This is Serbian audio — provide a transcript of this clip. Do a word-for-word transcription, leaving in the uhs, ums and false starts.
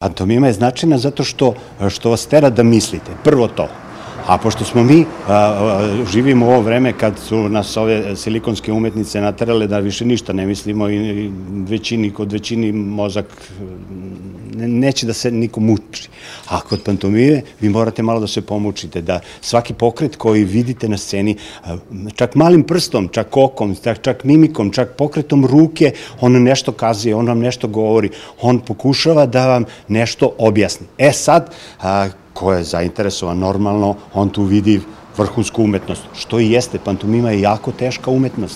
Pantomima je značajna zato što, što vas tera da mislite, prvo to. A pošto smo mi, a, a, živimo u ovo vreme kad su nas ove silikonske umetnice naterale da više ništa ne mislimo i većini, kod većini mozak ne, neće da se niko muči. A kod pantomime vi morate malo da se pomučite, da svaki pokret koji vidite na sceni, čak malim prstom, čak okom, čak, čak mimikom, čak pokretom ruke, on nešto kazuje, on vam nešto govori, on pokušava da vam nešto objasni. E sad, a, ko je zainteresovan normalno, on tu vidi vrhunsku umetnost, što i jeste, pantomima je jako teška umetnost.